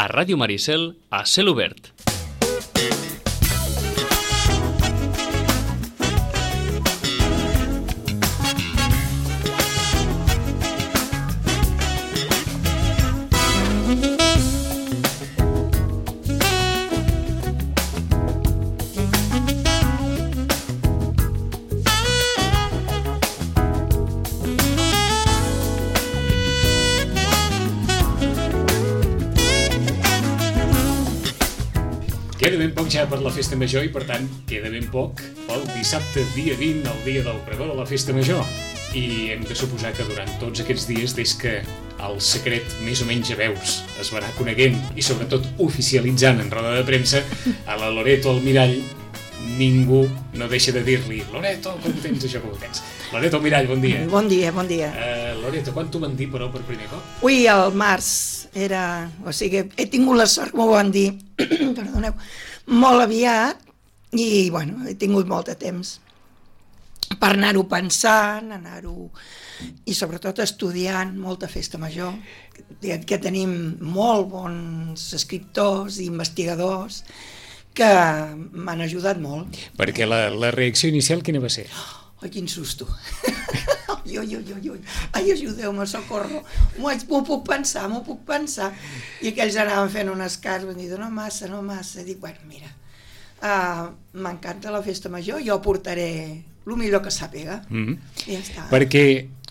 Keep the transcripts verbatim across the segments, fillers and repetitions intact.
a Ràdio Maricel, a Cel Obert. Queda ben poc ja per la festa major i, per tant, queda ben poc pel dissabte, dia vint, el dia del pregó de la festa major. I hem de suposar que durant tots aquests dies, des que el secret més o menys a veus es va anar coneguent i, sobretot, oficialitzant en roda de premsa, a la Loreto Almirall ningú no deixa de dir-li Loreto, com ho tens, això, com ho tens? Loreto Almirall, bon dia. Bon dia, bon dia. Uh, Loreto, quan t'ho van dir, però, per primer cop? Ui, al març era... O sigui, he tingut la sort, m'ho van dir, perdoneu, molt aviat i, bueno, he tingut molt de temps per anar-ho pensant, anar-ho... i sobretot estudiant molta festa major, que tenim molt bons escriptors i investigadors que m'han ajudat molt. Perquè la, la reacció inicial quina va ser? Ai, quin susto. Ui, ui, ui, ui. Ai, ajudeu-me, socorro. M'ho puc pensar, m'ho puc pensar. I aquells anaven fent unes cares, van dir, no massa, no massa. Dic, bueno, mira, uh, m'encanta la festa major, jo portaré el millor que sàpiga. Mm-hmm. I ja està. Perquè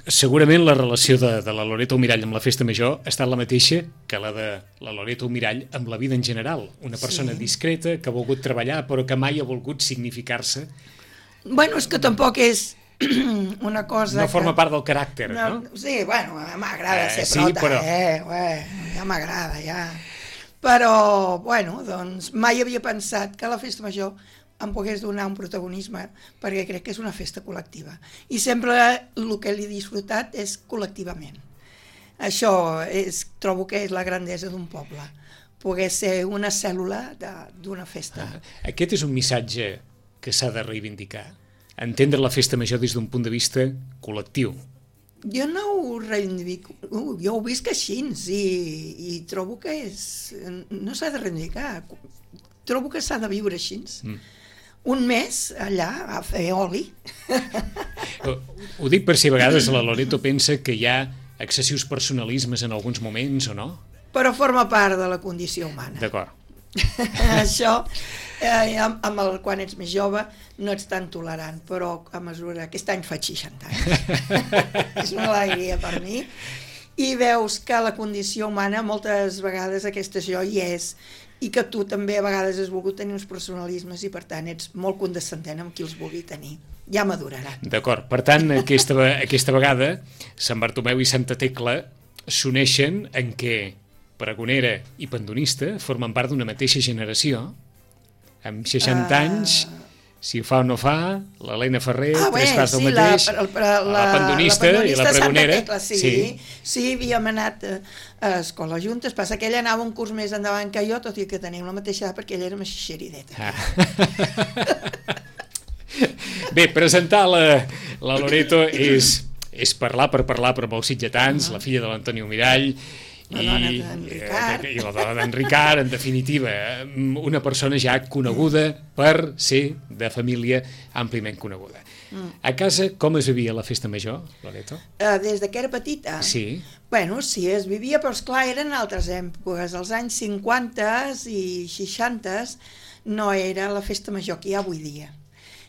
segurament la relació de, de la Loreto Almirall amb la festa major ha estat la mateixa que la de la Loreto Almirall amb la vida en general. Una persona sí. discreta que ha volgut treballar però que mai ha volgut significar-se. Bueno, és que tampoc és una cosa no forma que... part del caràcter, no? no? Sí, bueno, m'agrada eh, ser sí, prota, però... eh? Ué, ja m'agrada, ja. Però, bueno, doncs mai havia pensat que la festa major em pogués donar un protagonisme, perquè crec que és una festa col·lectiva. I sempre el que l'he disfrutat és col·lectivament. Això és, trobo que és la grandesa d'un poble, poder ser una cèl·lula d'una festa. Ah, aquest és un missatge que s'ha de reivindicar. Entendre la festa major des d'un punt de vista col·lectiu. Jo no ho reivindico, jo ho visc així i, i trobo que és... no s'ha de reivindicar, trobo que s'ha de viure així. Mm. Un mes allà a fer oli. Ho dic per si a vegades la Loreto pensa que hi ha excessius personalismes en alguns moments o no? Però forma part de la condició humana. D'acord. Això, eh, amb el, quan ets més jove, no ets tan tolerant, però a mesura... Aquest any faig seixanta anys. És una alegria per mi. I veus que la condició humana, moltes vegades aquesta jo hi és, i que tu també a vegades has volgut tenir uns personalismes i, per tant, ets molt condescendent amb qui els vulgui tenir. Ja maduraran. D'acord. Per tant, aquesta, aquesta vegada, Sant Bartomeu i Santa Tecla s'uneixen en què Pregonera i Pandonista formen part d'una mateixa generació, amb seixanta uh... anys, si ho fa o no fa, l'Helena Ferrer, ah, tres bé, quarts del sí, mateix, la, la, la, la Pandonista la i la Pregonera. Tecla, sí, sí. sí, havíem anat a, a escola juntes, passa que ella anava un curs més endavant que jo, tot i que tenim la mateixa edat, perquè ella era més xixerideta. Ah. Bé, presentar la, la Loreto és, és parlar per parlar per molts sitgetans, uh-huh. la filla de l'Antoni Almirall, la dona d'en Ricard. I la dona d'en Ricard, en definitiva, una persona ja coneguda per ser de família àmpliament coneguda. Mm. A casa, com es vivia la festa major, Loreto? Uh, des de que era petita? Sí. Bueno, sí, es vivia, però esclar, eren altres èpoques. Als anys cinquanta i seixanta no era la festa major que hi ha avui dia.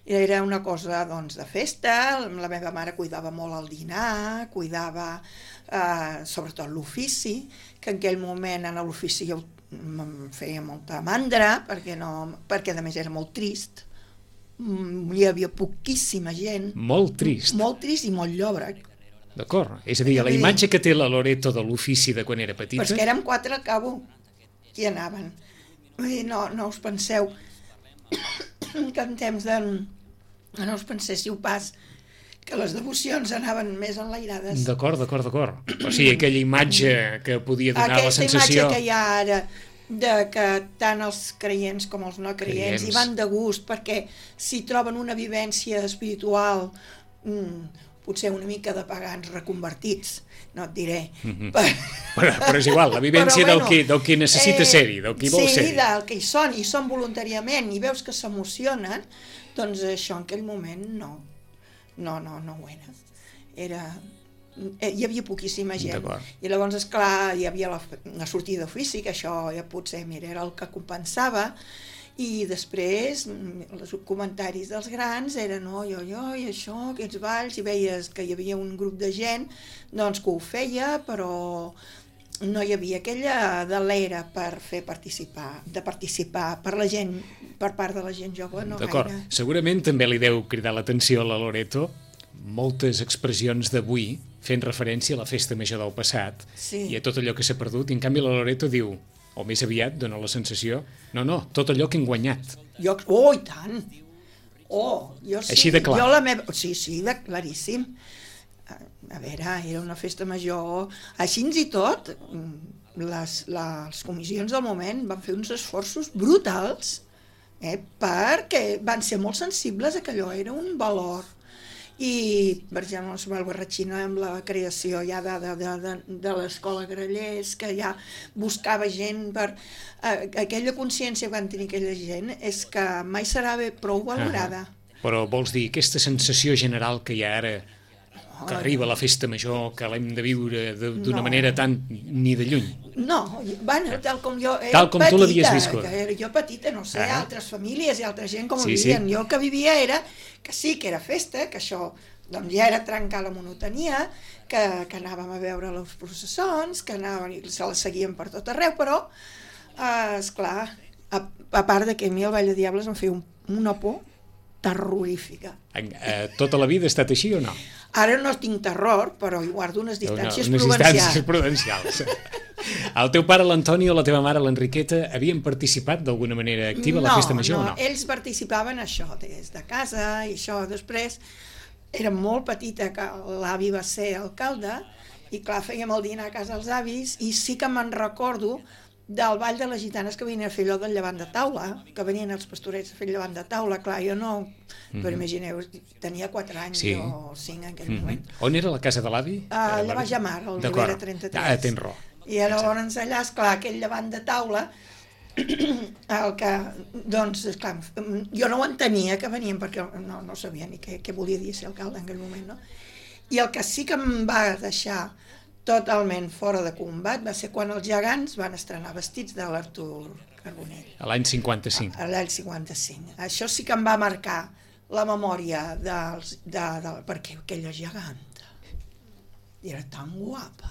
Era una cosa, doncs, de festa, la meva mare cuidava molt el dinar, cuidava eh, sobretot l'ofici, que en aquell moment en l'ofici jo em feia molta mandra, perquè, no, perquè a més era molt trist, hi havia poquíssima gent. Molt trist? Molt trist i molt llòbrec. D'acord, és a dir, la imatge que té la Loreto de l'ofici de quan era petita... Però és que érem quatre al cabo, qui anaven. Vull dir, no, no us penseu que en temps de... No us penséssiu pas que les devocions anaven més enlairades. D'acord, d'acord, d'acord. O sigui, aquella imatge que podia donar Aquesta la sensació... Aquesta imatge que hi ha ara, de que tant els creients com els no creients, creients. hi van de gust, perquè si troben una vivència espiritual, potser una mica de pagans reconvertits, no et diré. Mm-hmm. Per... Però, però és igual, la vivència Però, del, bueno, qui, del qui necessita eh, ser-hi, del qui vol sí, ser-hi. Sí, del que hi són, i són voluntàriament, i veus que s'emocionen, doncs això en aquell moment no, no, no, no ho era. Era... Hi havia poquíssima gent. I llavors, esclar, hi havia la, la sortida d'ofici, que això ja potser, mira, era el que compensava, i després els comentaris dels grans eren oi, oi, oi, això, aquests balls, i veies que hi havia un grup de gent doncs que ho feia, però no hi havia aquella delera per fer participar, de participar per la gent, per part de la gent jove, no D'acord. gaire. Segurament també li deu cridar l'atenció a la Loreto moltes expressions d'avui fent referència a la festa major del passat, sí. I a tot allò que s'ha perdut, i en canvi la Loreto diu, o més aviat dona la sensació, no, no, tot allò que hem guanyat. Jo, oh, i tant! Oh, jo sí. Així de clar. Jo la meva... Sí, sí, de claríssim. A, a veure, era una festa major... Així i tot, les, les comissions del moment van fer uns esforços brutals, eh, perquè van ser molt sensibles a que allò era un valor. I, per exemple, el Barratxina amb la creació ja de, de, de, de l'escola Grallers, que ja buscava gent per... Eh, aquella consciència que van tenir aquella gent és que mai serà bé prou valorada. Ah, però vols dir, aquesta sensació general que hi ha ara, que oh, arriba la festa major, que l'hem de viure d'una no. manera tan ni de lluny? No, bueno, tal com jo era tal com petita, tu l'havies viscut. Que era jo petita, no sé, ah. altres famílies i altra gent com ho sí, vivien. Sí. Jo el que vivia era que sí, que era festa, que això doncs ja era trencar la monotonia, que, que anàvem a veure les processons, que anàvem i se les seguien per tot arreu, però, eh, esclar, a, a part de que a mi el Ball de Diables em feia un, una por terrorífica. En, eh, tota la vida ha estat així o no? Ara no tinc terror, però hi guardo unes distàncies unes prudencials. Distàncies prudencials. El teu pare, l'Antoni, o la teva mare, l'Enriqueta, havien participat d'alguna manera activa a la no, festa major no, o no? ells participaven això des de casa i això. Després era molt petita que l'avi va ser alcalde i clar, fèiem el dinar a casa dels avis i sí que me'n recordo del ball de les gitanes que venien a fer allò del llevant de taula, que venien els pastorets a fer el llevant de taula. Clar, jo no... Mm-hmm. Però imagineu, tenia quatre anys sí. o cinc en aquell mm-hmm. moment. On era la casa de l'avi? Uh, allà a Jamar, al Ribera trenta-tres. Ah, tens raó. I llavors allà, esclar, aquell llevant de taula, el que, doncs, esclar, jo no ho entenia que venien, perquè no, no sabia ni què, què volia dir ser alcalde en aquell moment, no? I el que sí que em va deixar totalment fora de combat va ser quan els gegants van estrenar vestits de l'Artur Carbonell. A l'any cinquanta-cinc. A l'any cinquanta-cinc. Això sí que em va marcar la memòria dels, de, de, perquè aquella geganta era tan guapa.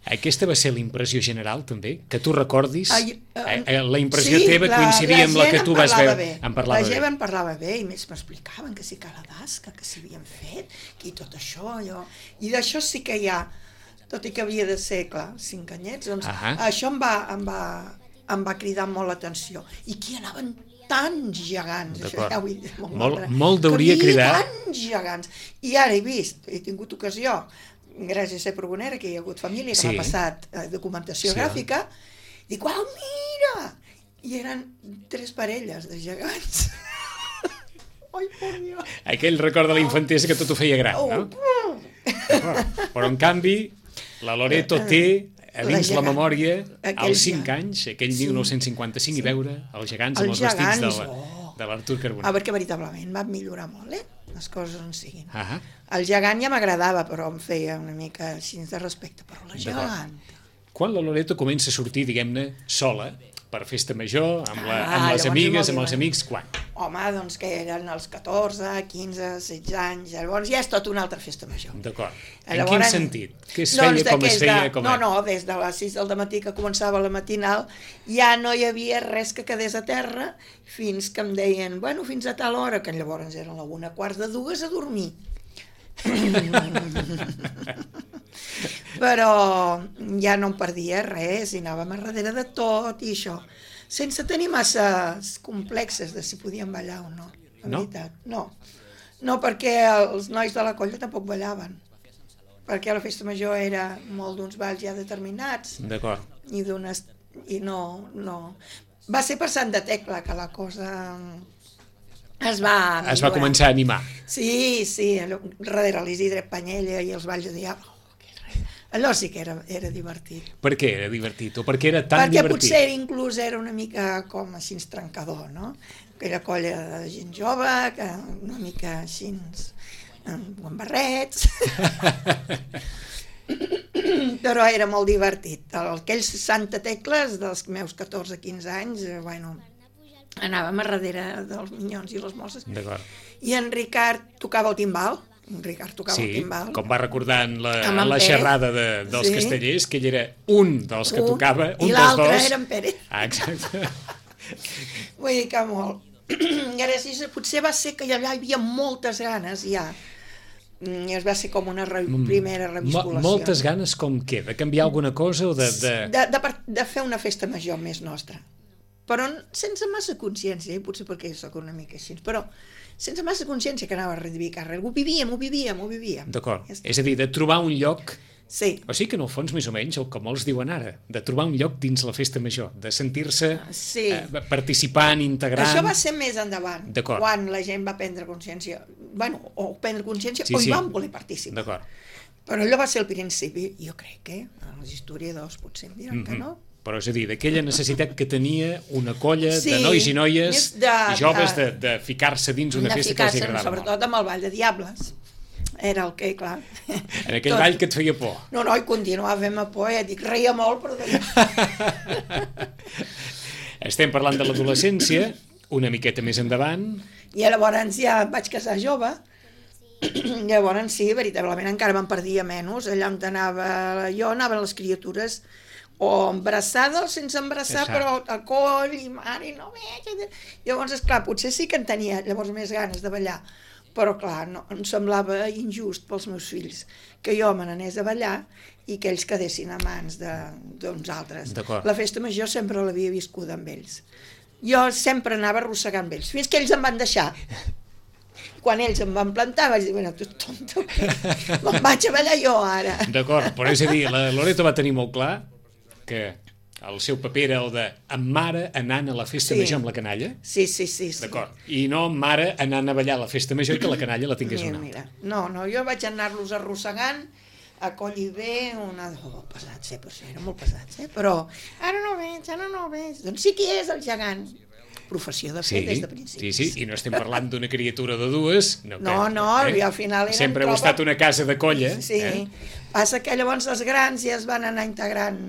Aquesta va ser la impressió general, també? Que tu recordis? Ai, uh, la impressió sí, teva coincidia amb la que tu vas veure? Bé. En parlava la gent bé. en parlava bé, i més m'explicaven que sí que la dasca, que s'hi havien fet, que i tot això, allò... I d'això sí que hi ha, tot i que havia de ser, clar, cinc anyets, doncs uh -huh. això em va, em, va, em va cridar molt l'atenció. I qui anaven tants gegants, això ja vull dir, molt, molt, molt deuria cridar. Tants gegants. I ara he vist, he tingut ocasió, gràcies a ser pregonera, que hi ha hagut família que sí. m'ha passat eh, documentació sí. gràfica, i dic, uau, mira! I eren tres parelles de gegants. Ai, por Dios. Aquell record de la infantesa que tot ho feia gran, no? Oh. Però, en canvi, la Loreto té a dins la, la memòria als cinc anys, aquell sí. mil nou-cents cinquanta-cinc, sí. i veure els gegants amb els, els gegants, vestits de, la, oh. de l'Artur Carbonell. Ah, perquè veritablement va millorar molt, eh? Les coses on siguin. Uh -huh. El gegant ja m'agradava, però em feia una mica així de respecte, però la gegant... Quan la Loreto comença a sortir, diguem-ne, sola, per festa major, amb, la, amb ah, les amigues, amb els amics, quan? Home, doncs que eren els catorze, quinze, setze anys, llavors ja és tot una altra festa major. D'acord. En llavors, quin sentit? Què es feia, doncs com es feia? De, com no, no, des de les sis del matí que començava la matinal ja no hi havia res que quedés a terra fins que em deien, bueno, fins a tal hora, que llavors eren la una quarts de dues a dormir. Però ja no em perdia res i anàvem a darrere de tot i això, sense tenir massa complexes de si podíem ballar o no, la no? veritat. No, no, perquè els nois de la colla tampoc ballaven, perquè la festa major era molt d'uns balls ja determinats. D'acord. I d'unes... i no, no... Va ser per Sant de Tecla que la cosa es va... Es va començar a animar. Sí, sí, allò, darrere l'Isidre Panyella i els Valls de Diable. Allò sí que era, era divertit. Per què era divertit? O per què era tan Perquè divertit? potser inclús era una mica com així trencador, no? Aquella colla de gent jove, que una mica així amb barrets... Però era molt divertit. Aquells Santa Tecles dels meus catorze quinze anys, bueno, anàvem a darrere dels minyons i les mosses. D'acord. I en Ricard tocava el timbal. En Ricard tocava sí, el timbal. com va recordant la, Amb en la Pérez. xerrada de, dels Sí. castellers, que ell era un dels que Un, tocava, un i dels l'altre dos. era en Pérez. Ah, exacte. Vull dir que molt. I ara sí, potser va ser que allà hi havia moltes ganes ja. I es va ser com una re primera revisculació. Mo moltes ganes com què? De canviar alguna cosa o de... De, de, de, de fer una festa major més nostra. Però sense massa consciència, eh? Potser perquè sóc una mica així, però sense massa consciència que anava a reivindicar res. Ho vivíem, ho vivíem, ho vivíem. D'acord. És a dir, de trobar un lloc... Sí. O sigui que en el fons, més o menys, el que molts diuen ara, de trobar un lloc dins la festa major, de sentir-se sí. eh, participant, integrant... Això va ser més endavant, quan la gent va prendre consciència, bueno, o prendre consciència sí, o hi sí. van voler participar. D'acord. Però allò va ser el principi, jo crec que els historiadors potser em diran mm -hmm. que no. Però és a dir, d'aquella necessitat que tenia una colla sí, de nois i noies de, joves de, de ficar-se dins una festa que els agradava molt. Sobretot amb el Ball de Diables. Era el que, clar... En aquell Tot... ball que et feia por. No, no, i continuava fent-me por, ja dic, reia molt, però... Estem parlant de l'adolescència, una miqueta més endavant. I llavors ja em vaig casar jove, llavors sí, veritablement encara me'n perdia menys, allà on anava jo, anaven les criatures o embarassades o sense embarassar, Exacte. Però a coll i mare, i no veig... Llavors, esclar, potser sí que en tenia llavors més ganes de ballar, però clar, no, em semblava injust pels meus fills que jo me n'anés a ballar i que ells quedessin a mans d'uns altres. La festa major sempre l'havia viscuda amb ells. Jo sempre anava arrossegant ells, fins que ells em van deixar. Quan ells em van plantar vaig dir, bueno, tu tonto, me'n vaig a ballar jo ara. D'acord, però és a dir, la Loreto va tenir molt clar que el seu paper era el de amb mare anant a la festa sí. major amb la canalla. Sí, sí, sí. sí. D'acord. I no amb mare anant a ballar a la festa major i que la canalla la tingués mira, una mira. No, no, jo vaig anar-los arrossegant a coll i bé, una... Oh, pesats, eh, per això, eren molt pesats, eh? Però ara no veig, ara no veig. Doncs sí que és el gegant. Professió de fet sí, des de principis. Sí, sí, i no estem parlant d'una criatura de dues. No, no, que, no eh? al final eren... Sempre heu estat una casa de colla. Sí, eh? Passa que llavors els grans ja es van anar integrant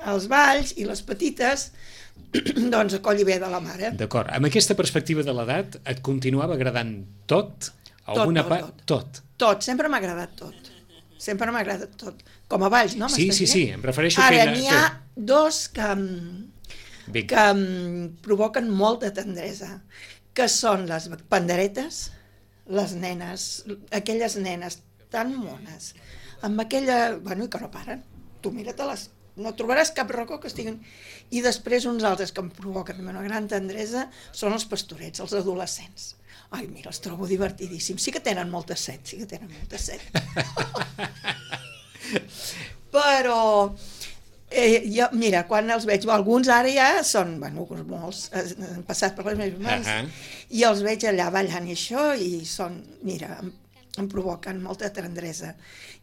els balls i les petites doncs a coll i bé de la mare. D'acord. Amb aquesta perspectiva de l'edat et continuava agradant tot? Alguna tot, tot, part? tot. Tot. Tot, sempre m'ha agradat tot. Sempre m'ha agradat tot. Com a balls, no? Sí, sí, sí, em refereixo Ara, que... Ara, n'hi ha dos que, que em provoquen molta tendresa, que són les panderetes, les nenes, aquelles nenes tan mones, amb aquella... Bueno, i que no paren. Tu mira-te-les. No trobaràs cap racó que estiguin... I després uns altres que em provoquen una gran tendresa són els pastorets, els adolescents. Ai, mira, els trobo divertidíssims. Sí que tenen molta set, sí que tenen molta set. Però, eh, jo, mira, quan els veig, alguns ara ja són, bueno, molts, han passat per les meves mans, uh -huh. i els veig allà ballant i això, i són, mira, em, em provoquen molta tendresa.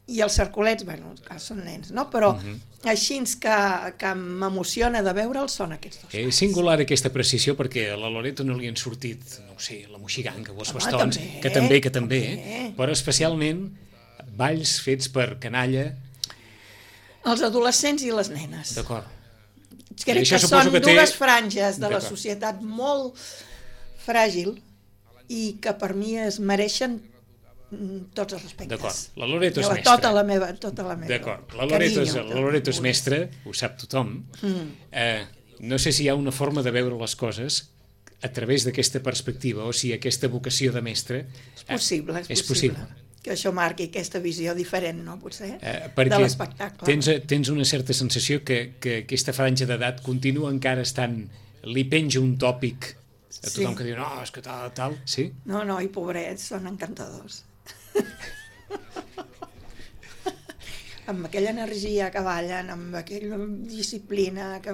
I els cercolets, bueno, són nens, no? Però uh -huh. així que, que m'emociona de veure'ls són aquests dos. És singular aquesta precisió perquè a la Loreto no li han sortit, no sé, la moixiganga o els Home, bastons, també, que també, que també, també, però especialment balls fets per canalla. Els adolescents i les nenes. D'acord. Crec que són que dues té... franges de la societat molt fràgil i que per mi es mereixen tots els respectes. D'acord, la Loreto és mestra. Tota la meva, tota la meva. D'acord, la Loreto és, la Loreto és mestra, ho sap tothom. Mm. Eh, no sé si hi ha una forma de veure les coses a través d'aquesta perspectiva, o si aquesta vocació de mestre... És possible, és, és possible. possible. Que això marqui aquesta visió diferent, no, potser, eh, de l'espectacle. Tens, tens una certa sensació que, que aquesta franja d'edat continua encara estant... Li penja un tòpic a tothom sí. que diu, no, és que tal, tal... Sí? No, no, i pobrets, són encantadors. Amb aquella energia que ballen, amb aquella disciplina que...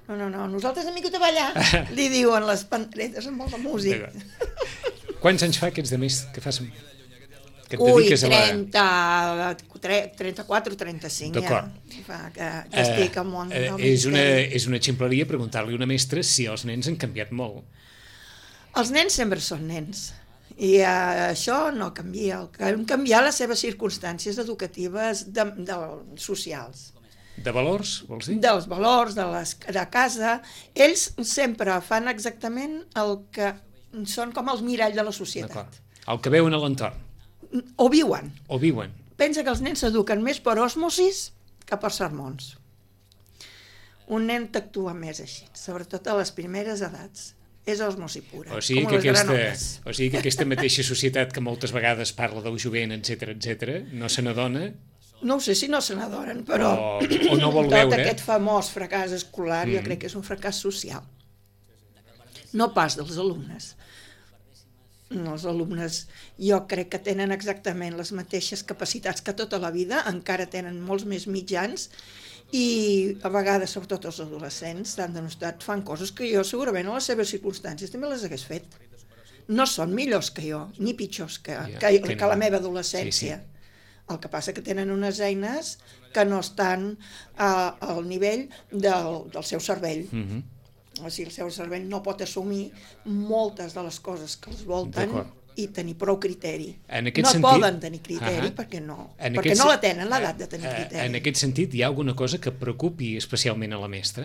No, no, no, nosaltres hem vingut a ballar, li diuen les panderetes amb molta música. Quants anys fa que ets de més que fas... Que et Ui, dediques a la... trenta, trenta-quatre o trenta-cinc D'acord. ja. Fa que, que estic al món Eh, del és, una, misteri. és una ximpleria preguntar-li a una mestra si els nens han canviat molt. Els nens sempre són nens. I uh, això no canvia. El que han canviat les seves circumstàncies educatives de, de, socials. De valors, vols dir? Dels valors, de, les, de casa. Ells sempre fan exactament el que són com els miralls de la societat. D'acord. El que veuen a l'entorn. O viuen. O viuen. Pensa que els nens s'eduquen més per osmosis que per sermons. Un nen t'actua més així, sobretot a les primeres edats. És osmosi pura, O sigui, com que les aquesta, granotes. o sigui que aquesta mateixa societat que moltes vegades parla del jovent, etcètera, etcètera, no se n'adona No ho sé si no se n'adoren, però o, o no vol tot veure. aquest famós fracàs escolar mm. jo crec que és un fracàs social. No pas dels alumnes. No, els alumnes jo crec que tenen exactament les mateixes capacitats que tota la vida, encara tenen molts més mitjans i a vegades, sobretot els adolescents, s'han demostrat, fan coses que jo segurament a les seves circumstàncies també les hagués fet. No són millors que jo, ni pitjors que, Ja, que, que que no. la meva adolescència. Sí, sí. El que passa que tenen unes eines que no estan a, al nivell del, del seu cervell. Mhm. O sigui, el seu cervell no pot assumir moltes de les coses que els volten D'acord. i tenir prou criteri. En aquest no sentit- poden tenir criteri Ahà. perquè no, En perquè aquest no sen- la tenen, l'edat de tenir Eh, criteri. En aquest sentit, hi ha alguna cosa que preocupi especialment a la mestra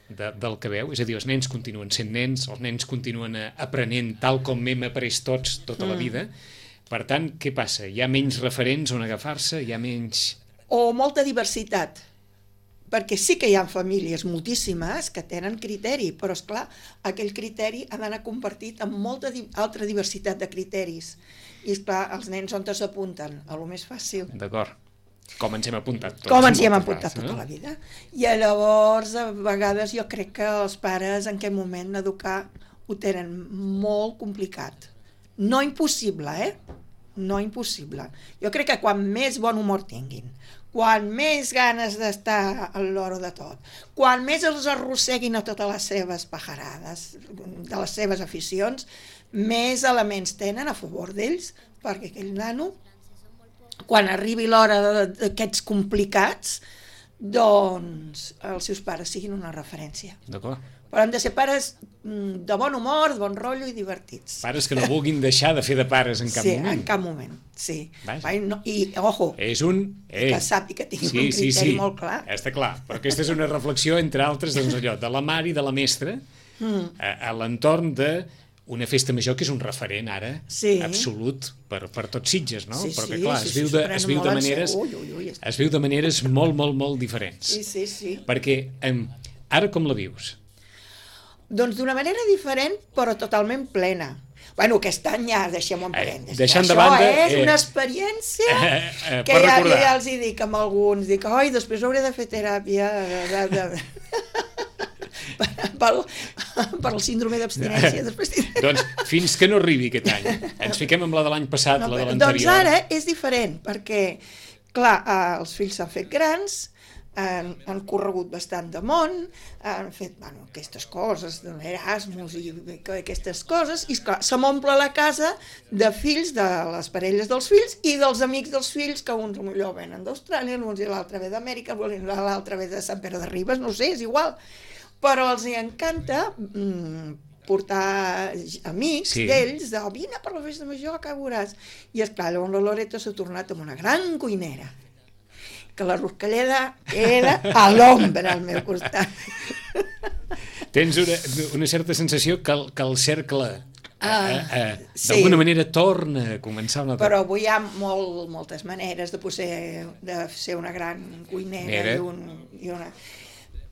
de, del que veu? És a dir, els nens continuen sent nens, els nens continuen eh, aprenent tal com hem après tots tota la Mm. vida. Per tant, què passa? Hi ha menys referents on agafar-se? Hi ha menys... O molta diversitat, perquè sí que hi ha famílies moltíssimes que tenen criteri, però és clar, aquell criteri ha d'anar compartit amb molta di altra diversitat de criteris. I és clar, els nens on s'apunten? A lo més fàcil. D'acord. Com ens hem apuntat tots. Com ens hi hem moltes apuntat vegades, tota la vida. I llavors, a vegades, jo crec que els pares en aquest moment educar ho tenen molt complicat. No impossible, eh? No impossible. Jo crec que quan més bon humor tinguin, quan més ganes d'estar a l'hora de tot, quan més els arrosseguin a totes les seves pajarades, de les seves aficions, més elements tenen a favor d'ells, perquè aquell nano, quan arribi l'hora d'aquests complicats, doncs els seus pares siguin una referència. D'acord. Però han de ser pares de bon humor, de bon rotllo i divertits. Pares que no vulguin deixar de fer de pares en cap sí, moment. en cap moment, sí. Vaja. I, no, I, ojo, És un... Eh, que sàpiga que tingui sí, un sí, criteri sí. molt clar. Està clar, però aquesta és una reflexió, entre altres, doncs allò, de la mare i de la mestra, Mm. a, a l'entorn de una festa major que és un referent ara Sí. absolut per, per tots Sitges, no? Sí, Perquè sí, clar, sí, es sí, viu s'ho de, prenen es viu molt de en maneres sèrio. Ui, ui, ui. es viu de maneres molt, molt, molt diferents. Sí, sí, sí. Perquè em, ara com la vius? Doncs d'una manera diferent, però totalment plena. Bueno, aquest any ja deixem-ho en Eh, parèntesis. deixant de Això banda, és eh, una experiència eh, eh, que per ja, recordar. ja els hi dic amb alguns. Dic, oi, després hauré de fer teràpia de, de, de... pel, per el síndrome d'abstinència. Després tindré... Doncs fins que no arribi aquest any. Ens fiquem amb la de l'any passat, No, la de doncs l'anterior. ara és diferent, perquè, clar, eh, els fills s'han fet grans, han, han corregut bastant de món, han fet, bueno, aquestes coses, Erasmus i aquestes coses, i esclar, se m'omple la casa de fills de les parelles dels fills i dels amics dels fills, que uns millor venen d'Austràlia, uns i l'altre ve d'Amèrica, l'altre ve de Sant Pere de Ribes, no sé, és igual. Però els hi encanta mm, portar amics Sí. d'ells, de, oh, vine per la festa major, que veuràs. I esclar, llavors la Loreto s'ha tornat amb una gran cuinera, que la Ruscalleda era a l'ombra al meu costat. Tens una, una certa sensació que el, que el cercle Ah, eh, eh, sí. d'alguna manera torna a començar una Però avui hi ha molt, moltes maneres de, poder, de ser una gran cuinera Mira. i, un, i una...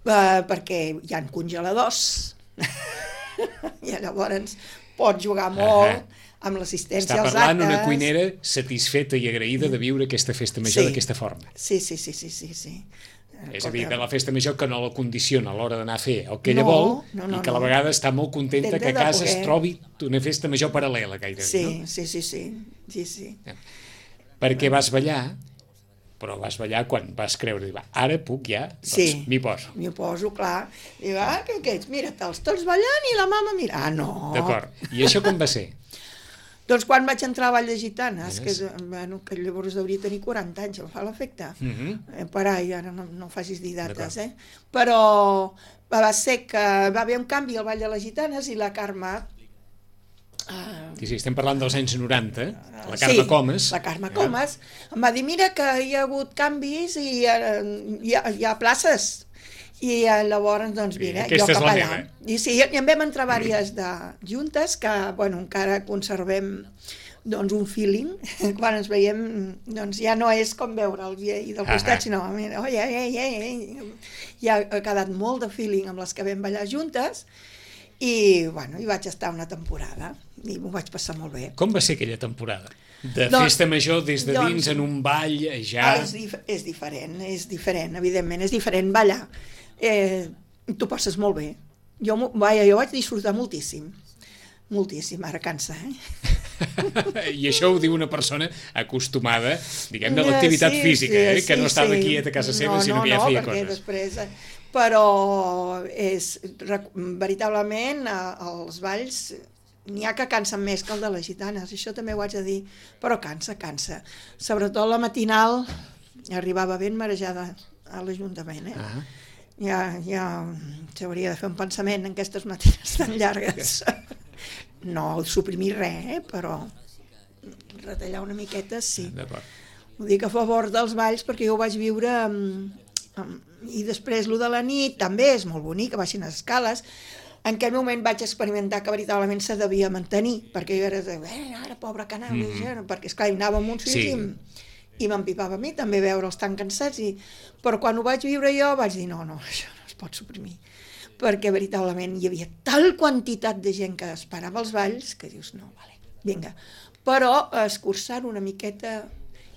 Uh, perquè hi ha congeladors i llavors pots jugar molt Ahà. amb l'assistència Està als parlant actes. una cuinera satisfeta i agraïda de viure aquesta festa major Sí. d'aquesta forma. Sí, sí, sí, sí, sí, sí. És a dir, de la festa major que no la condiciona a l'hora d'anar a fer el que No, ella vol no, no, i que a la no. vegada està molt contenta Contenta que a de casa es poder. trobi una festa major paral·lela, gairebé. Sí, No? sí, sí, sí, sí, sí. Perquè vas ballar, però vas ballar quan vas creure, va, ara puc ja, doncs Sí. m'hi poso. M'hi poso, clar. Diu, ah, què, què ets? Mira, te'ls tots ballant i la mama mira. Ah, no. D'acord. I això com va ser? Doncs quan vaig entrar a Vall de Gitanes, Yes. que, bueno, que llavors hauria tenir quaranta anys, em fa l'efecte. Uh -huh. eh, per ahí, ara no, no facis dir dates, eh? Però va ser que va haver un canvi al Vall de les Gitanes i la Carme... Uh, Sí, sí, estem parlant dels anys noranta, la Carme sí, Comas. la Carme Comas em va dir, mira que hi ha hagut canvis i uh, hi, ha, hi ha places. I uh, llavors, doncs, mira, Aquesta jo és cap la allà. meva. I sí, i en vam entrar diverses de juntes que, bueno, encara conservem doncs un feeling, quan ens veiem doncs ja no és com veure'ls i del costat, sinó mira, oi, oi, oi, oi, ja ha quedat molt de feeling amb les que vam ballar juntes i, bueno, hi vaig estar una temporada i m'ho vaig passar molt bé. Com va ser aquella temporada? De Doncs- festa major des de dins, doncs- en un ball, ja... És, dif és diferent, és diferent, evidentment, és diferent ballar. Eh, T'ho passes molt bé. Jo, m'ho- vaja, jo vaig disfrutar moltíssim, moltíssim, ara cansa, eh? I això ho diu una persona acostumada, diguem-ne, a Eh, l'activitat sí, física, sí, eh? que sí, no estava sí. aquí a casa seva, no, sinó no, que ja no, feia perquè coses. després, eh, però és, rec- veritablement, a- els balls n'hi ha que cansen més que el de les gitanes, això també ho haig de dir, però cansa, cansa. Sobretot la matinal, arribava ben marejada a l'Ajuntament, eh? Ah. Ja, ja s'hauria de fer un pensament en aquestes matinades tan llargues. No suprimir res, eh? Però retallar una miqueta, sí. D'acord. Ho dic a favor dels balls perquè jo ho vaig viure amb, amb, i després lo de la nit també és molt bonic, baixin les escales. En aquell moment vaig experimentar que veritablement se devia mantenir, perquè jo era de, eh, ara, pobra canal, mm -hmm. perquè esclar, hi anava amb uns fills Sí. i, i m'empipava a mi també veure'ls tan cansats, i... però quan ho vaig viure jo vaig dir, no, no, això no es pot suprimir, perquè veritablement hi havia tal quantitat de gent que esperava els balls que dius, no, vale, vinga, però escurçar una miqueta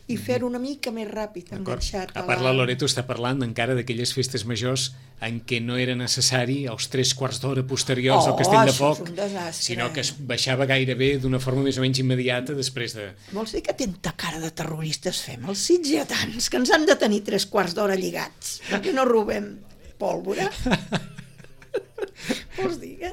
i fer-ho una mica més ràpid, enganxat. A part, la Loreto està parlant encara d'aquelles festes majors en què no era necessari els tres quarts d'hora posteriors Oh, al Castell de això és Foc, un desastre. sinó que es baixava gairebé d'una forma més o menys immediata després de... Vols dir que tanta cara de terroristes fem els sitgetans, que ens han de tenir tres quarts d'hora lligats, perquè no robem pólvora? Vols dir que...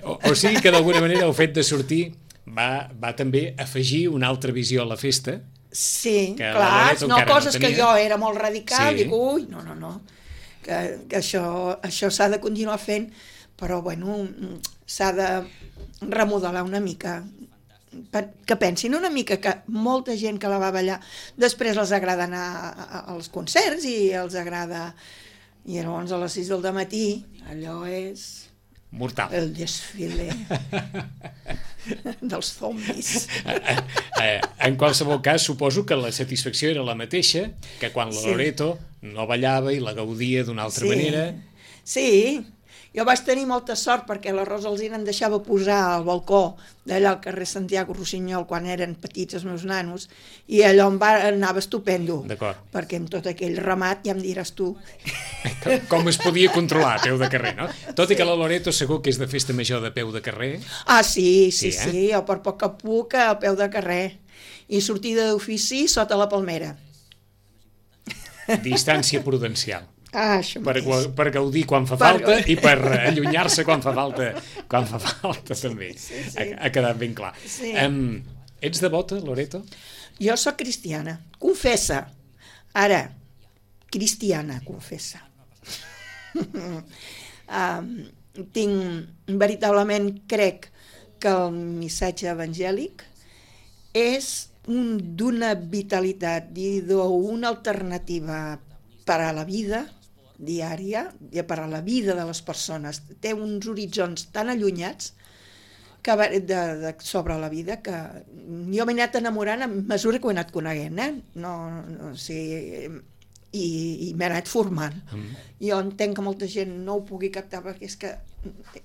O, o sigui que d'alguna manera el fet de sortir va, va també afegir una altra visió a la festa. Sí, Que la clar, Loreto no, encara coses no que tenia. jo era molt radical, Sí. dic, ui, no, no, no, que, que això, això s'ha de continuar fent, però, bueno, s'ha de remodelar una mica, que pensin una mica que molta gent que la va ballar després els agrada anar a- als concerts i els agrada, i llavors a les sis del matí allò és Mortal. el desfile dels zombis. Eh, eh, en qualsevol cas, suposo que la satisfacció era la mateixa que quan la Sí. Loreto no ballava i la gaudia d'una altra Sí. manera. Sí, jo vaig tenir molta sort perquè la Rosa Alsina em deixava posar al balcó d'allà al carrer Santiago Rossinyol quan eren petits els meus nanos i allò em va, anava estupendo. D'acord. Perquè amb tot aquell ramat ja em diràs tu. Com- Com es podia controlar a peu de carrer, no? Tot i que la Loreto segur que és de festa major de peu de carrer. Ah, sí, sí, Sí, eh? sí, jo per poc que puc al peu de carrer. I sortida d'ofici sota la palmera. Distància prudencial. Ah, això Per, mateix. per gaudir quan fa Per falta gaudir. i per allunyar-se quan fa falta, quan fa falta també. Sí, sí. Ha, ha quedat ben clar. Sí. Um, ets devota, Loreto? Jo sóc cristiana, confessa. Ara, cristiana, confessa. um, tinc, veritablement crec que el missatge evangèlic és un, d'una vitalitat i d'una alternativa per a la vida diària i per a la vida de les persones. Té uns horitzons tan allunyats que va- de, de, sobre la vida que jo m'he anat enamorant a mesura que ho he anat coneguent, eh? No, no, o sigui, i, i m'he anat formant. Mm. Jo entenc que molta gent no ho pugui captar perquè és que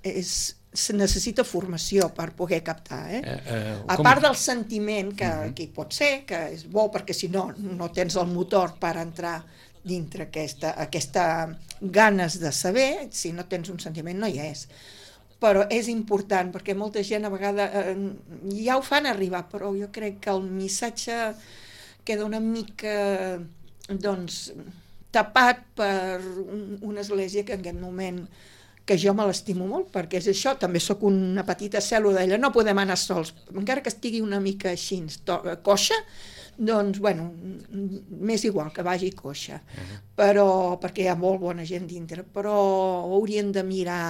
és, se necessita formació per poder captar, eh? Eh, eh, A com- part del sentiment que, Mhm. que hi pot ser, que és bo perquè si no, no tens el motor per entrar dintre aquesta, aquesta ganes de saber, si no tens un sentiment no hi és. Però és important perquè molta gent a vegades eh, ja ho fan arribar, però jo crec que el missatge queda una mica doncs tapat per un, una església que en aquest moment que jo me l'estimo molt, perquè és això, també sóc una petita cèl·lula d'ella, no podem anar sols, encara que estigui una mica així, coixa, doncs, bueno, m'és igual que vagi coixa, uh-huh. però, perquè hi ha molt bona gent dintre, però haurien de mirar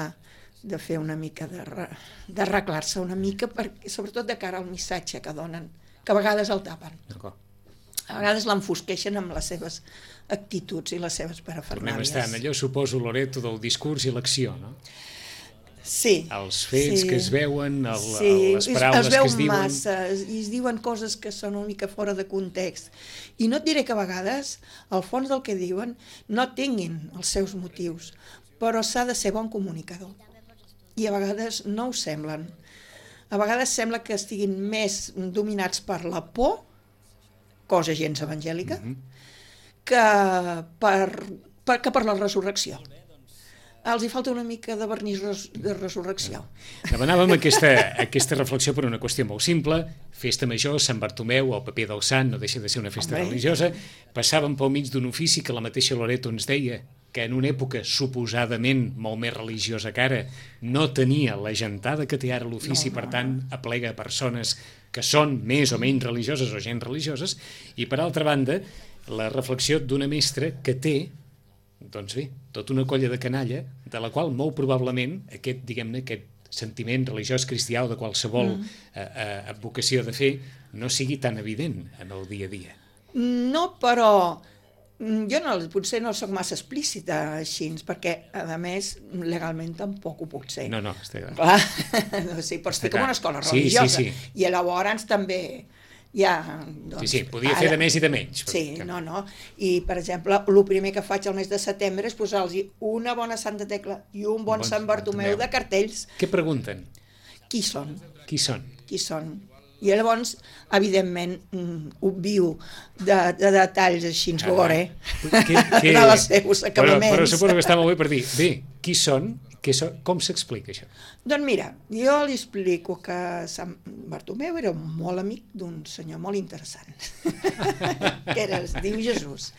de fer una mica, d'arreglar-se una mica, perquè, sobretot de cara al missatge que donen, que a vegades el tapen. D'acord. A vegades l'enfosqueixen amb les seves actituds i les seves parafernàlies. Tornem a estar en allò, suposo, Loreto, del discurs i l'acció, no? Sí. Els fets sí. que es veuen, el, sí. les paraules es que es diuen... massa, i es diuen coses que són una mica fora de context. I no et diré que a vegades, al fons del que diuen, no tinguin els seus motius, però s'ha de ser bon comunicador. I a vegades no ho semblen. A vegades sembla que estiguin més dominats per la por, cosa gens evangèlica, mm-hmm. que, per, per, que per la resurrecció. Els hi falta una mica de vernís res, de resurrecció. Demanàvem aquesta, aquesta reflexió per una qüestió molt simple. Festa major, Sant Bartomeu, el paper del sant, no deixa de ser una festa Home. religiosa. Passàvem pel mig d'un ofici que la mateixa Loreto ens deia que en una època suposadament molt més religiosa que ara no tenia la gentada que té ara l'ofici, no, no. per tant aplega persones que són més o menys religioses o gent religioses, i per altra banda la reflexió d'una mestra que té, doncs bé, tota una colla de canalla, de la qual molt probablement aquest, diguem-ne, aquest sentiment religiós cristià o de qualsevol mm. eh, eh, advocació de fer no sigui tan evident en el dia a dia. No, però jo no, potser no soc massa explícita així, perquè, a més, legalment tampoc ho puc ser. No, no, està clar. Clar, no, sí, pots fer com una escola religiosa. Sí, sí, sí. I llavors també... Ja, doncs, sí, sí, podia ara, fer de més i de menys. Sí, que... no, no. I, per exemple, el primer que faig al mes de setembre és posar-los una bona Santa Tecla i un bon, bon Sant Bartomeu de cartells. Què pregunten? Qui són? Qui són? Qui són? I llavors, evidentment, obvio de, de detalls així, ens veuré, de les seus acabaments. Però, però suposo que està molt bé per dir, bé, qui són? Que so, com s'explica això? Doncs mira, jo li explico que Sant Bartomeu era molt amic d'un senyor molt interessant, que era, es diu Jesús,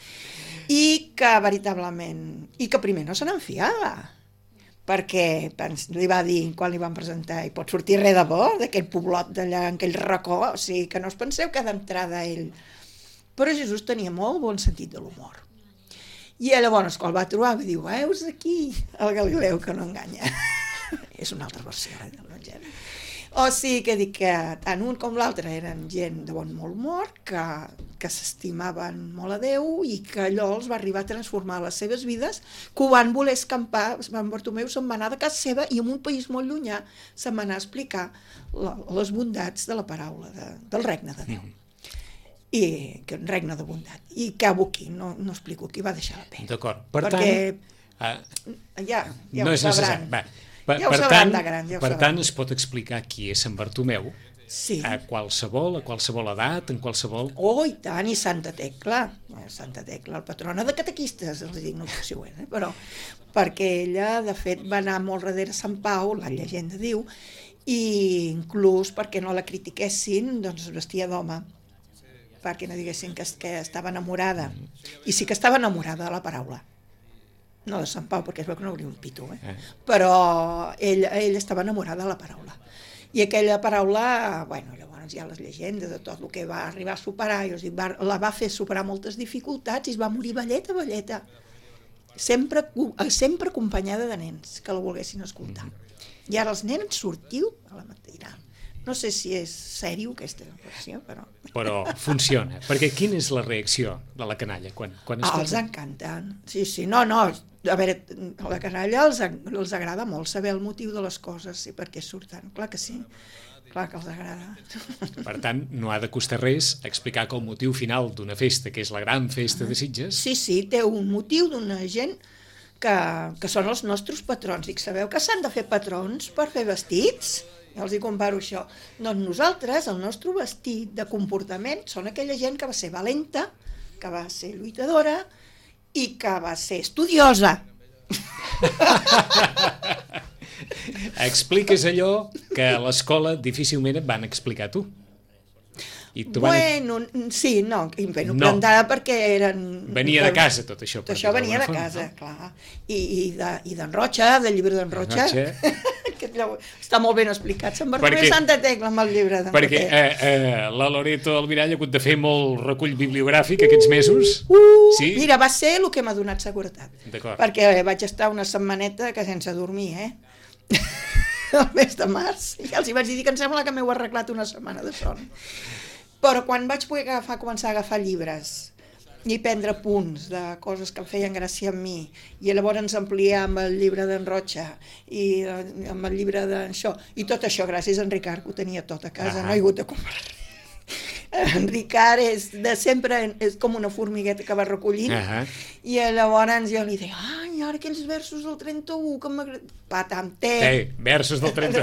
i que veritablement, i que primer no se n'enfiava, perquè li va dir, quan li van presentar, i pot sortir res de bo d'aquell poblot d'allà, en aquell racó, o sigui, que no us penseu que d'entrada ell... Però Jesús tenia molt bon sentit de l'humor. I llavors, quan el va trobar, va dir, veus aquí el Galileu que no enganya. És una altra versió eh, de l'Evangeli. O sigui que dic que tant un com l'altre eren gent de bon molt humor, que, que s'estimaven molt a Déu i que allò els va arribar a transformar les seves vides, que ho van voler escampar. Sant Bartomeu se'n va anar de casa seva i en un país molt llunyà se'n va anar a explicar la, les bondats de la paraula, de, del regne de Déu. I que un regne de bondat. I acabo aquí, no, no explico qui va deixar la pena. D'acord. Per perquè tant... Uh, ja, ja no ho sabran. Va, per, ja ho per sabran tant, de gran. Ja ho per sabran. tant, es pot explicar qui és Sant Bartomeu sí. a qualsevol, a qualsevol edat, en qualsevol... Oh, i tant, i Santa Tecla. Santa Tecla, la patrona de catequistes, els dic, no sé si ho és, eh? Però perquè ella, de fet, va anar molt darrere Sant Pau, la llegenda diu, i inclús perquè no la critiquessin, doncs es vestia d'home, perquè no diguessin que, que estava enamorada. I sí que estava enamorada de la paraula. No de Sant Pau, perquè es veu que no hauria un pito, eh? eh. Però ell, ell estava enamorada de la paraula. I aquella paraula, bueno, llavors hi ha les llegendes de tot el que va arribar a superar, i, o sigui, va, la va fer superar moltes dificultats i es va morir velleta, velleta. Sempre, sempre acompanyada de nens que la volguessin escoltar. I ara els nens sortiu a la mateiral. No sé si és sèrio aquesta versió, però... Però funciona, perquè quina és la reacció de la canalla quan, quan ah, els encanten, sí, sí, no, no, a veure, a la canalla els, els agrada molt saber el motiu de les coses i per què surten, clar que sí, clar que els agrada. Per tant, no ha de costar res explicar que el motiu final d'una festa, que és la gran festa de Sitges... Sí, sí, té un motiu d'una gent que, que són els nostres patrons, i sabeu que s'han de fer patrons per fer vestits? Jo els hi comparo això. Doncs nosaltres, el nostre vestit de comportament, són aquella gent que va ser valenta, que va ser lluitadora i que va ser estudiosa. Expliques allò que a l'escola difícilment et van explicar tu. I tu van... Bueno, sí, no, bueno, No. plantada perquè eren... Venia de casa tot això. Tot per això dir-ho venia de d'alguna casa, forma, clar. I, i de- i d'en Rocha, del llibre d'en Rocha. Rocha. que allò està molt ben explicat. Sant Bartomeu Perquè- Santa Tecla amb el llibre d'en Perquè Roquet. eh, eh, la Loreto Almirall ha hagut de fer molt recull bibliogràfic aquests mesos. Uh, Sí? Mira, va ser el que m'ha donat seguretat. D'acord. Perquè vaig estar una setmaneta que sense dormir, eh? el mes de març. I els hi vaig dir que em sembla que m'heu arreglat una setmana de son. Però quan vaig poder agafar, començar a agafar llibres i prendre punts de coses que em feien gràcia a mi, i llavors ampliar amb el llibre d'en Rocha i eh, amb el llibre d'això, i tot això gràcies a en Ricard, que ho tenia tot a casa, Ah. no he hagut de comprar res. En Ricard és de sempre, és com una formigueta que va recollint, Ah. i llavors jo li deia, ai, ara aquells versos del trenta-u que m'agrada... Patam, té. Té, versos del trenta.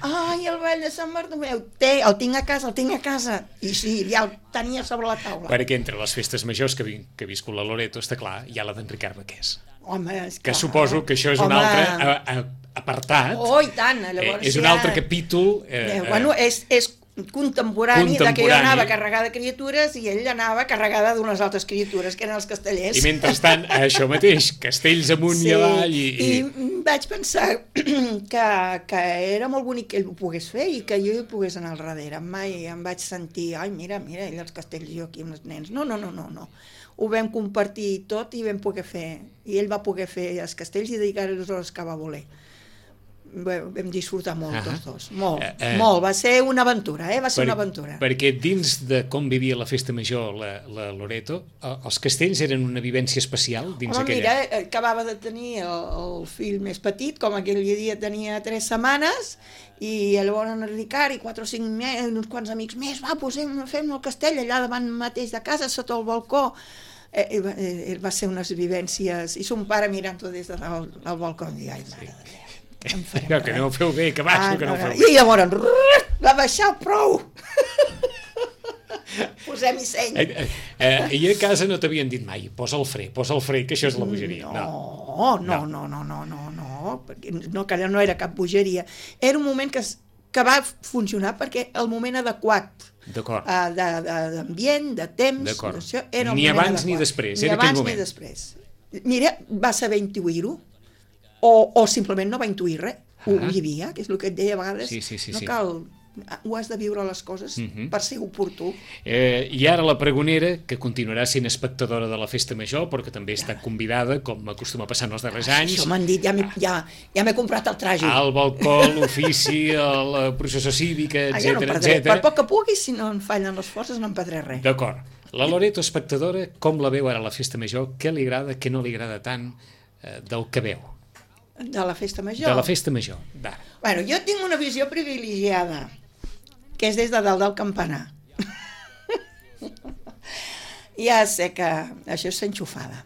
Ai, el ball de Sant Bartomeu, té, el tinc a casa, el tinc a casa. I sí, ja el tenia sobre la taula. Perquè entre les festes majors que, vi, que ha viscut la Loreto, està clar, hi ha la d'en Ricard Baqués. Home, és Que clar. suposo que això és un Home. altre a, a, apartat. Oh, i tant, llavors eh, és un ja- altre capítol. Eh, Eh, bueno, és, és contemporani, de que jo Contemporani. anava carregada de criatures i ell anava carregada d'unes altres criatures, que eren els castellers. I mentrestant, això mateix, castells amunt i avall. I, i... i vaig pensar que, que era molt bonic que ell ho pogués fer i que jo hi pogués anar al darrere. Mai em vaig sentir, ai, mira, mira, ell els castells i jo aquí amb els nens. No, no, no, no, no. Ho vam compartir tot i vam poder fer, i ell va poder fer els castells i dedicar les hores que va voler. Bé, vam disfrutar molt, Ah. tots dos, molt, Eh, eh. molt, va ser una aventura, eh? va ser Per- una aventura. Perquè dins de com vivia la festa major la, la Loreto, eh, els castells eren una vivència especial dins Home, aquella... mira, eh, acabava de tenir el, el fill més petit, com aquell dia tenia tres setmanes, i llavors en Ricard i quatre o cinc més, uns quants amics més, va, posem, fem el castell allà davant mateix de casa, sota el balcó. Eh, eh, va, eh, va ser unes vivències, i son pare mirant-ho des del del balcó, i dic, ai, mare de Déu, que no en farem No, que no ho feu bé, que baixo, Ah, que no ho no, feu no. bé. I llavors, rrr, va baixar prou. Posem-hi seny. Eh, eh, I a casa no t'havien dit mai, posa el fre, posa el fre, que això és la bogeria. No, no, no, no, no, no, no, perquè no, que no era cap bogeria. Era un moment que, es- que va funcionar perquè el moment adequat D'acord. uh, d'ambient, de, de temps, D'acord. d'això, era el Ni moment abans ni adequat. després, ni era aquell abans moment. ni després. Mira, va saber intuir-ho, o, o simplement no va intuir res, ho Ah. vivia, que és el que et deia a vegades, Sí, sí, sí, no sí. cal, ho has de viure les coses Mhm. per ser oportú. Eh, I ara la pregonera, que continuarà sent espectadora de la festa major, però que també està convidada, com acostuma a passar en els darrers anys, Això m'han dit, ja m'he ja, ja m'he comprat el traje. al balcó, l'ofici, a la processó cívica, Ah, ja no etcètera, perdré. Per etcètera. poc que pugui, si no em fallen les forces, no em perdré res. D'acord. La Loreto, espectadora, com la veu ara a la festa major? Què li agrada, què no li agrada tant eh, del que veu? De la festa major. De la festa major, d'ara. Bueno, jo tinc una visió privilegiada, que és des de dalt del campanar. Ja sé que això és enxufada.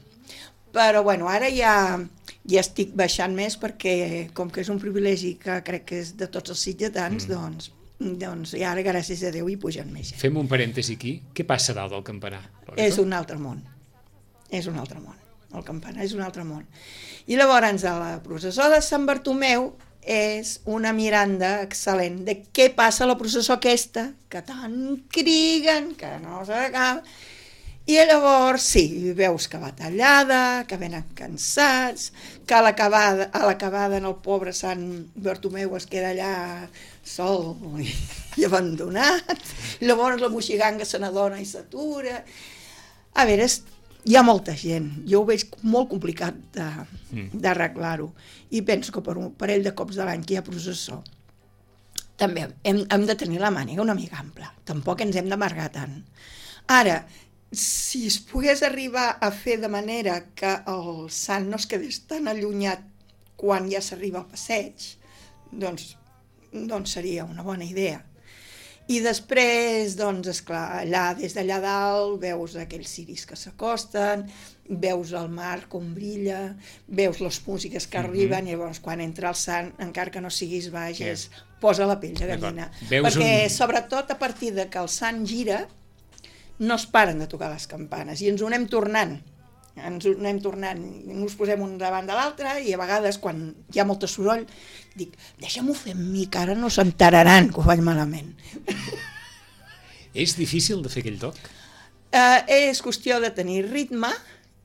Però, bueno, ara ja, ja estic baixant més perquè, com que és un privilegi que crec que és de tots els sitgetans, mm. doncs, doncs, i ara, gràcies a Déu, hi pugen més gent. Fem un parèntesi aquí. Què passa dalt del campanar? Loreto? És un altre món. És un altre món. El campanar és un altre món. I llavors, a la processó de Sant Bartomeu és una miranda excel·lent de què passa a la processó aquesta, que tant criguen, que no s'acaba. I llavors, sí, veus que va tallada, que venen cansats, que a l'acabada, a l'acabada en el pobre Sant Bartomeu es queda allà sol i, i abandonat. I llavors la moixiganga se n'adona i s'atura. A veure, és, hi ha molta gent. Jo ho veig molt complicat de- d'arreglar-ho. I penso que per un parell de cops de l'any que hi ha processó, també hem, hem de tenir la màniga una mica ampla. Tampoc ens hem d'amargar tant. Ara, si es pogués arribar a fer de manera que el sant no es quedés tan allunyat quan ja s'arriba al passeig, doncs, doncs seria una bona idea. I després, doncs, esclar, allà, des d'allà dalt, veus aquells ciris que s'acosten, veus el mar com brilla, veus les músiques que arriben, i llavors quan entra el sant, encara que no siguis baix, és, posa la pell de gallina. Veus Perquè, un- sobretot, a partir de que el sant gira, no es paren de tocar les campanes, i ens ho anem tornant. Ens ho anem tornant, ens posem un davant de l'altre, i a vegades, quan hi ha molt soroll, dic, deixa'm-ho fer amb mi, que ara no s'enteraran que ho faig malament. És difícil de fer aquell toc? Uh, és qüestió de tenir ritme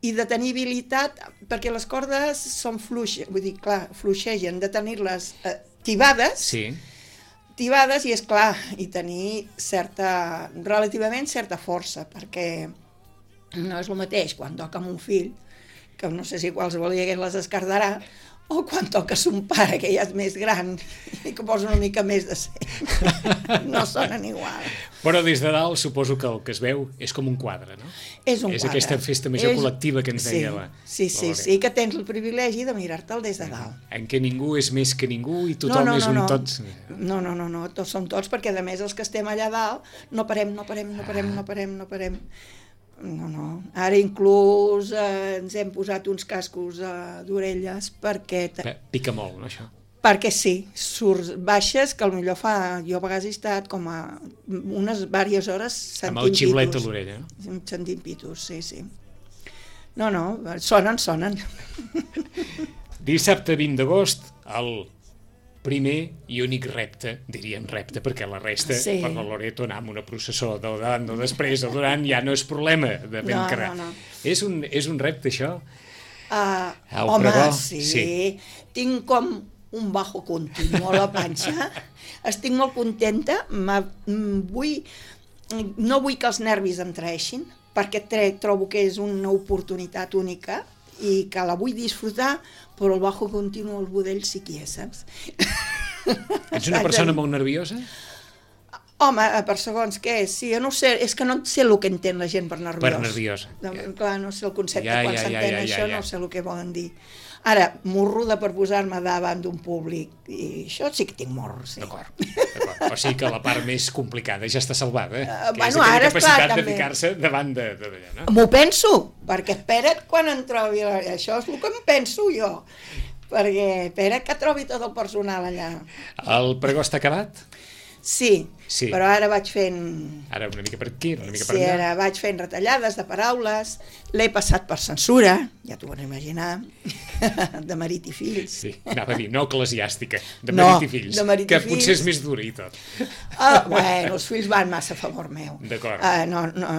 i de tenir habilitat, perquè les cordes són fluixes, vull dir, clar, fluixegen, de tenir-les uh, tibades, Sí. tibades i, és clar, i tenir certa, relativament certa força, perquè no és el mateix quan toca amb un fill, que no sé si qualsevol dia les escardarà, o quan toca son pare, que ja és més gran i que posa una mica més de seny. No sonen igual. Però des de dalt suposo que el que es veu és com un quadre, no? És un és quadre. aquesta festa major És... col·lectiva que ens sí, deia la... Sí, sí, la sí, que tens el privilegi de mirar-te'l des de dalt. En què ningú és més que ningú i tothom no, no, és no, un no. tots... No, no, no, no, tots som tots, perquè a més els que estem allà dalt no parem, no parem, no parem, no parem, no parem. No, no. Ara inclús eh, ens hem posat uns cascos eh, d'orelles perquè... Bé, pica molt, no, això? Perquè sí, surts baixes, que potser fa... Jo a vegades he estat com a unes diverses hores sentint Amb el xiulet a pitos. l'orella, no? Sentint pitos, sí, sí. No, no, sonen, sonen. Dissabte vint d'agost, el primer i únic repte, diríem repte, perquè la resta, Sí. per la Loreto, anar amb una processó del davant o després o durant ja no és problema de ben No, carrer. no, no. És, un, és un repte, això? Uh, El home, pregó, sí. sí. Tinc com un bajo continu a la panxa. Estic molt contenta. Vull, no vull que els nervis em traeixin, perquè trobo que és una oportunitat única i que la vull disfrutar, però el bajo continu, el budell, sí que hi és, saps? Ets una persona molt nerviosa? Home, per segons què és, sí, jo no sé, és que no sé el que entén la gent per nerviós. Per nerviosa. No, clar, no sé el concepte, Ja, quan ja, ja, s'entén ja, ja, això, ja. no sé el que volen dir. Ara, morruda per posar-me davant d'un públic, i això sí que tinc morro, sí. D'acord, d'acord. O sigui que la part més complicada ja està salvada, eh? Uh, que bueno, és aquella ara, capacitat esclar, de també. ficar-se davant de, de, d'allà, no? M'ho penso, perquè espera't quan em trobi... Això és el que em penso jo, perquè espera't que trobi tot el personal allà. El pregó està acabat? Sí, Sí. però ara vaig fent... Ara una mica per aquí, una mica per Sí, allà. ara vaig fent retallades de paraules, l'he passat per censura, ja t'ho van imaginar, de marit i fills. Sí, anava a dir, no eclesiàstica, de No, marit i fills, de marit i que fills. potser és més dura i tot. Ah, bueno, els fills van massa a favor meu. D'acord. Ah, no, no,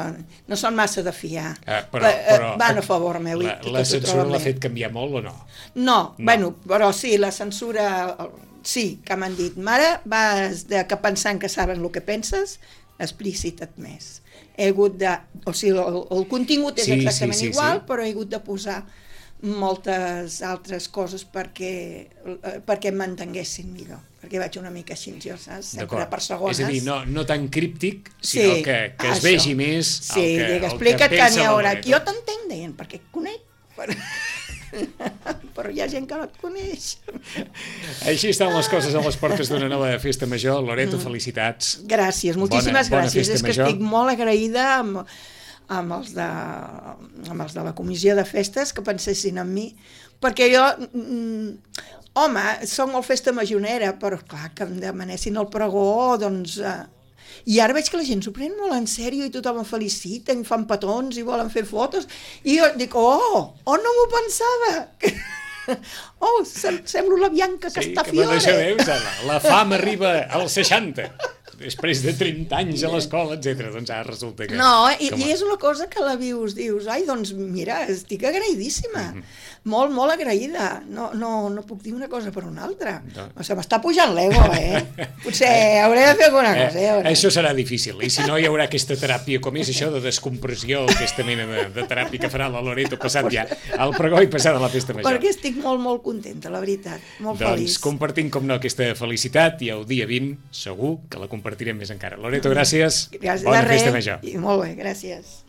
no són massa de fiar. Ah, però, Va- eh, però, van a favor meu. i La, tot la ho censura troben l'ha bé. fet canviar molt o no? No, No. bueno, però sí, la censura, sí, que m'han dit, mare, vas de que pensant que saben el que penses, explícita't més. He hagut de, o sigui, el, el contingut és Sí, exactament sí, sí, igual, sí. però he hagut de posar moltes altres coses perquè, eh, perquè em mantenguessin millor, perquè vaig una mica així, jo, saps? Sempre D'acord. per segones. És a dir, no, no tan críptic, sinó Sí, que, que es això. vegi més Sí, el que, dic, el que explica't que pensa n'hi la haurà. Loreto. Jo t'entenc, deien, perquè et conec. Però... però hi ha gent que no et coneix. Així estan les coses a les portes d'una nova festa major. Loreto, felicitats. Gràcies, moltíssimes Bona- bona gràcies. festa És que major. estic molt agraïda amb, amb, els de, amb els de la comissió de festes que pensessin en mi, perquè jo, mm, home, soc molt festa majorera, però clar, que em demanessin el pregó, doncs... Eh, i ara veig que la gent s'ho pren molt en sèrio i tothom em felicita, em fan petons i volen fer fotos, i jo dic, oh, oh, no m'ho pensava! Oh, sem semblo la Bianca Sí, que Castafiore! això veus, la, la fama arriba als seixanta, després de trenta anys a l'escola, etcètera. Doncs ara resulta que... No, i, com a- i és una cosa que la vius, dius, ai, doncs mira, estic agraïdíssima, molt, molt agraïda, no, no, no puc dir una cosa per una altra, No. no. Se m'està pujant l'ego, eh? Potser hauré de fer alguna cosa, Eh, eh? això serà difícil, i si no hi haurà aquesta teràpia, com és això de descompressió, aquesta mena de, de teràpia que farà la Loreto passat ja al pregó i passat a la festa major. Perquè estic molt, molt contenta, la veritat, molt Doncs feliç. compartim, com no, aquesta felicitat, i el dia vint segur que la compartirem més encara. Loreto, gràcies. Gràcies Bona de res, festa major. i molt bé, gràcies.